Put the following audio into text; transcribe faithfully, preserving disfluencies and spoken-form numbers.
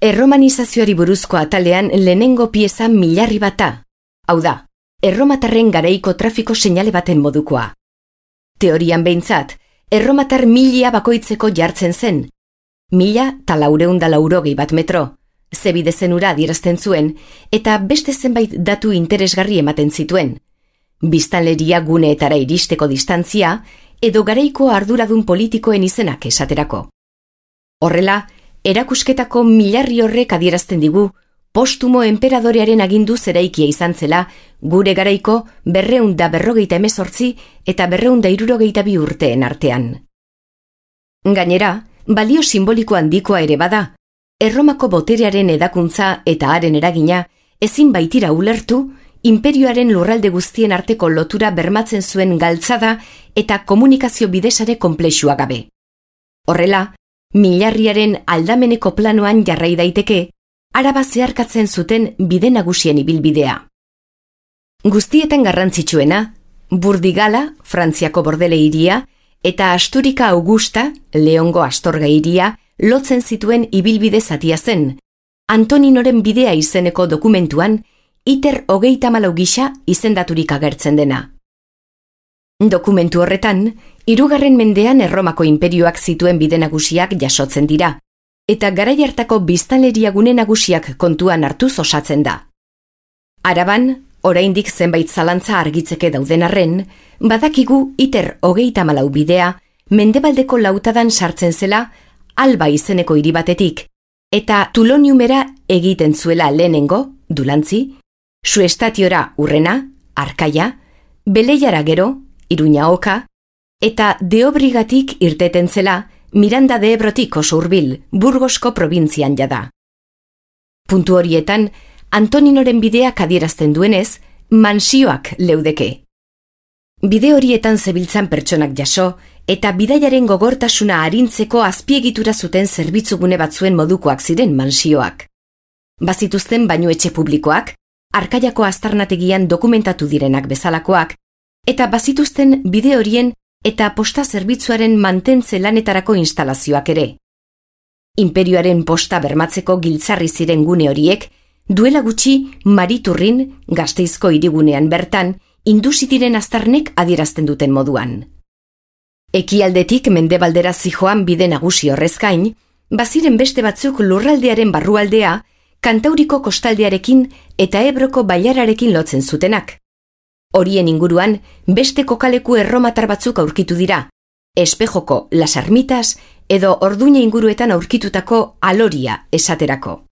erromanizazioari buruzko atalean lehenengo pieza milarri bata. Hau da, erromatarren garaiko trafiko seinale baten modukoa. Teorian behintzat, erromatar milia bakoitzeko jartzen zen. Mila ta laureunda laurogei bat metro, zebide zenura adierazten zuen, eta beste zenbait datu interesgarri ematen zituen. Biztanleria guneetara iristeko distantzia, edo garaiko arduradun politikoen izenak esaterako. Horrela, erakusketako milarri horrek adierazten digu, postumo enperadorearen agindu zeraikia izan zela, gure garaiko berreunda berrogeita emezortzi eta berreunda irurogeita bi urteen artean. Gainera, balio simboliko handikoa ere bada, Erromako boterearen edakuntza eta haren eragina ezin baitira ulertu, inperioaren lurralde guztien arteko lotura bermatzen zuen galtzada eta komunikazio bidesare konplexua gabe. Horrela, milarriaren aldameneko planoan jarrai daiteke, Araba zeharkatzen zuten bide nagusien ibilbidea. Guztietan garrantzitsuena, Burdigala, Frantziako Bordele hiria, eta Asturika Augusta, Leongo Astorga hiria, lotzen zituen ibilbide zatia zen, Antoninoren bidea izeneko dokumentuan, iter hogeita hamalau gisa izendaturik agertzen dena. Dokumentu horretan, hirugarren mendean Erromako inperioak zituen bide nagusiak jasotzen dira, eta garai hartako biztanleria gune nagusiak kontuan hartuz osatzen da. Araban, oraindik zenbait zalantza argitzeke dauden arren, badakigu iter hogeita hamalau bidea, mendebaldeko lautadan sartzen zela, Alba izeneko hiri batetik, eta Tuloniumera egiten zuela lehenengo, Dulantzi, Suestatiora urrena, Arkaia, Beleiara gero, Iruña oka, eta Deobrigatik irteten zela, Miranda de Ebrotik oso hurbil, Burgosko probintzian jada. Puntu horietan, Antoninoren bideak adierazten duenez, mansioak leudeke. Bide horietan zebiltzan pertsonak jaso, eta bidaiaren gogortasuna arintzeko azpiegitura zuten zerbitzugune batzuen modukoak ziren mansioak. Bazituzten bainuetxe publikoak, Arkaiako aztarnategian dokumentatu direnak bezalakoak, eta bazituzten bide horien eta posta zerbitzuaren mantentze lanetarako instalazioak ere. Inperioaren posta bermatzeko giltzarri ziren gune horiek, duela gutxi Mariturrin, Gasteizko hirigunean bertan, indusi diren aztarnek adierazten duten moduan. Ekialdetik mendebaldera zijoan bide nagusi horrez gain, baziren beste batzuk lurraldearen barrualdea, Kantauriko kostaldearekin eta Ebroko bailararekin lotzen zutenak. Horien inguruan, beste kokaleku erromatar batzuk aurkitu dira, Espejoko Las Ermitas edo Orduña inguruetan aurkitutako Aloria esaterako.